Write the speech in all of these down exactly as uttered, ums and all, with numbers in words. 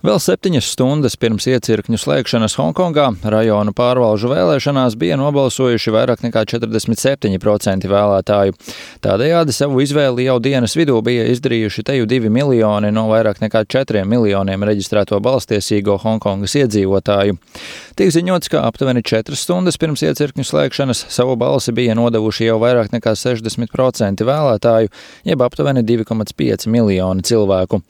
Vēl septiņas stundas pirms iecirkņu slēgšanas Honkongā rajonu pārvalžu vēlēšanās bija nobalsojuši vairāk nekā četrdesmit septiņi procenti vēlētāju. Tādējādi savu izvēli jau dienas vidū bija izdarījuši teju divi miljoni no vairāk nekā četriem miljoniem reģistrēto balstiesīgo Honkongas iedzīvotāju. Tiek ziņots, ka aptuveni četras stundas pirms iecirkņu slēgšanas savu balsi bija nodevuši jau vairāk nekā sešdesmit procenti vēlētāju, jeb aptuveni divi komats pieci miljoni cilvēku.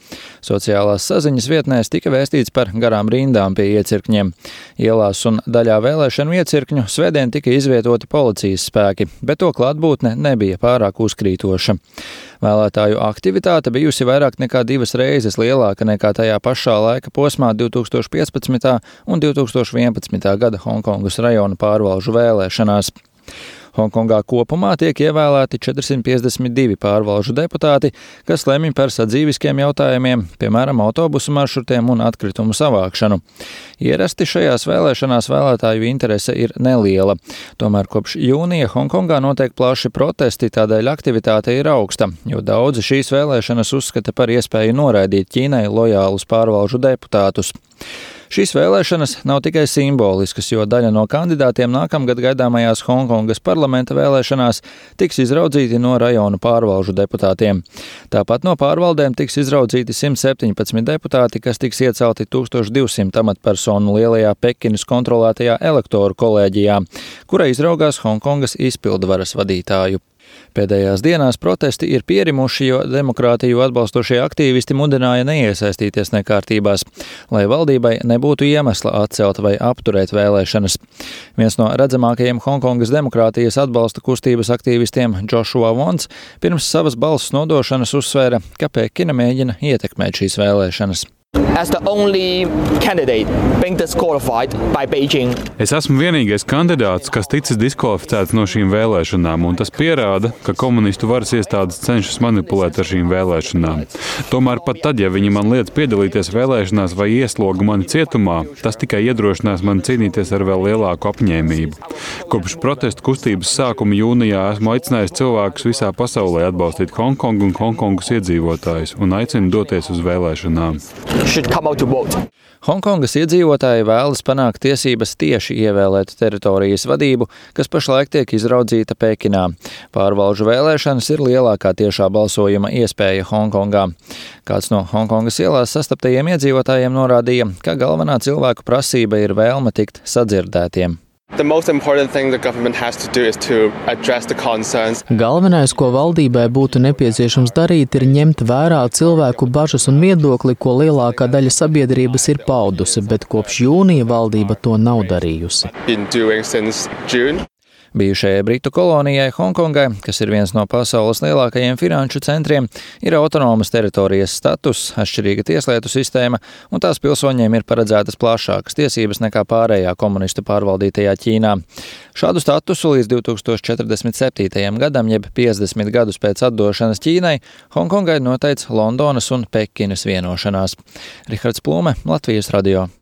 Sociālās saziņas vietnēs tika vēstīts par garām rindām pie iecirkņiem. Ielās un daļā vēlēšanu iecirkņu svētdien tika izvietoti policijas spēki, bet to klātbūtne nebija pārāk uzkrītoša. Vēlētāju aktivitāte bijusi vairāk nekā divas reizes lielāka nekā tajā pašā laika posmā divi tūkstoši piecpadsmitā un divi tūkstoši vienpadsmitā gada Honkongas rajona pārvalžu vēlēšanās. Honkongā kopumā tiek ievēlēti četrsimt piecdesmit divi pārvalžu deputāti, kas lemj par sadzīviskiem jautājumiem, piemēram, autobusu maršrutiem un atkritumu savākšanu. Ierasti šajās vēlēšanās vēlētāju interese ir neliela. Tomēr kopš jūnija Honkongā notiek plaši protesti, tādēļ aktivitāte ir augsta, jo daudzi šīs vēlēšanas uzskata par iespēju noraidīt Ķīnai lojālus pārvalžu deputātus. Šīs vēlēšanas nav tikai simboliskas, jo daļa no kandidātiem nākamgad gaidāmajās Honkongas parlamenta vēlēšanās tiks izraudzīti no rajonu pārvalžu deputātiem. Tāpat no pārvaldēm tiks izraudzīti simt septiņpadsmit deputāti, kas tiks iecelti tūkstoš divsimt amatpersonu lielajā Pekinas kontrolētajā elektoru kolēģijā, kura izraugās Honkongas izpildvaras vadītāju. Pēdējās dienās protesti ir pierimuši, jo demokrātiju atbalstošie aktīvisti mudināja neiesaistīties nekārtībās, lai valdībai nebūtu iemesla atcelt vai apturēt vēlēšanas. Viens no redzamākajiem Honkongas demokrātijas atbalsta kustības aktīvistiem Joshua Wons pirms savas balss nodošanas uzsvēra, ka Pekina mēģina ietekmēt šīs vēlēšanas. As the only candidate being disqualified by Beijing. Es esmu vienīgais kandidāts, kas ticis diskvalificēts no šīm vēlēšanām, un tas pierāda, ka komunistu varas iestādes cenšas manipulēt ar šīm vēlēšanām. Tomēr pat tad, ja viņi man liedz piedalīties vēlēšanās vai iesloga mani cietumā, tas tikai iedrošinās mani cīnīties ar vēl lielāku apņēmību. Kopš protestu kustības sākuma jūnijā esmu aicinājis cilvēkus visā pasaulē atbalstīt Honkongu un Honkongas iedzīvotājus un aicinu doties uz vēlēšanām. Honkongas iedzīvotāji vēlas panākt tiesības tieši ievēlēt teritorijas vadību, kas pašlaik tiek izraudzīta Pekinā. Pārvalžu vēlēšanas ir lielākā tiešā balsojuma iespēja Honkongā. Kāds no Honkongas ielās sastaptajiem iedzīvotājiem norādīja, ka galvenā cilvēku prasība ir vēlme tikt sadzirdētiem. Galvenais, ko valdībai būtu nepieciešams darīt, ir ņemt vērā cilvēku bažas un viedokli, ko lielākā daļa sabiedrības ir paudusi, bet kopš jūnija valdība to nav darījusi. Bijušajai Britu kolonijai Honkongai, kas ir viens no pasaules lielākajiem finanšu centriem, ir autonomas teritorijas status, atšķirīga tieslietu sistēma, un tās pilsoņiem ir paredzētas plašākas tiesības nekā pārējā komunistu pārvaldītajā Ķīnā. Šādu statusu līdz divi tūkstoši četrdesmit septītajam gadam, jeb piecdesmit gadus pēc atdošanas Ķīnai, Honkongai noteica Londonas un Pekinas vienošanās. Rihards Plūme, Latvijas radio.